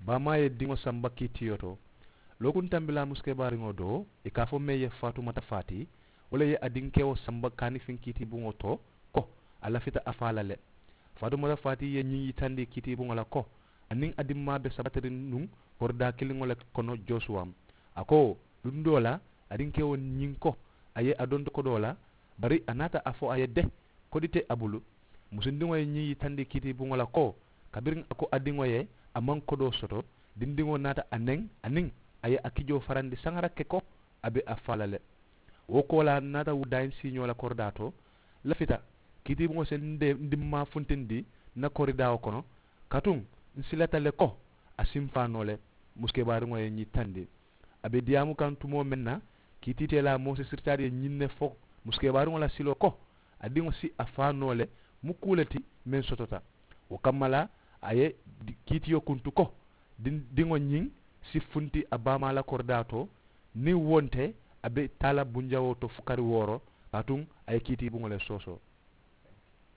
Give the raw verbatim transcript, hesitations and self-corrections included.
Baamaa ye diŋo samba kiitiyo to. Lookuŋ tambilaa musikebaariŋo doo, ì ka a fo meŋ ye faatumata faati, wo le ye a dinkewo samba kaanifiŋ kiitibuŋo to, ko a lafita a faa la le. Faatumata faati ye ñiŋ yitandi kiitibuŋo la ko a niŋ a dimmaa be sabatiriŋ nuŋ koridaa kiliŋo le kono josuwa. A ko, luŋ doo la, a dinkewo ñiŋ ko a ye a donto kodoo la, bari a naata a fo a ye de, kodi te a bulu. Musundiŋo ye ñiŋ yitandi kiitibuŋo la ko, kabiriŋ a ko a diŋo ye a maŋ kodoo soto, dindiŋo naata a neŋ a niŋ a ye a kijoo farandi saŋara ke ko a be a faa la le. Wo koolaa naata wudaayiŋ siiñoo la koridaa to, lafita kiitibuŋo si n dimmaa funtindi n na koridaawo kono, katuŋ n silata le ko a si n faa noo le. Musikebaariŋo ye ñiŋ tandi a be diyaamu kaŋ tumoo meŋ na, kiitiiteelaa moosi siritaari ye ñiŋ ne fo musikebaariŋo la siloo ko a diŋo si a faa noo le, mu kuu le ti meŋ sotota. Wo kamma la a ye kiitiyo kuntu ko diŋo ñiŋ si funti a baamaa la koridaa to, niŋ wo nte a be taa la bunjawoo to fukari wooro. Kaatuŋ a ye kiitiibuŋo le soosoo.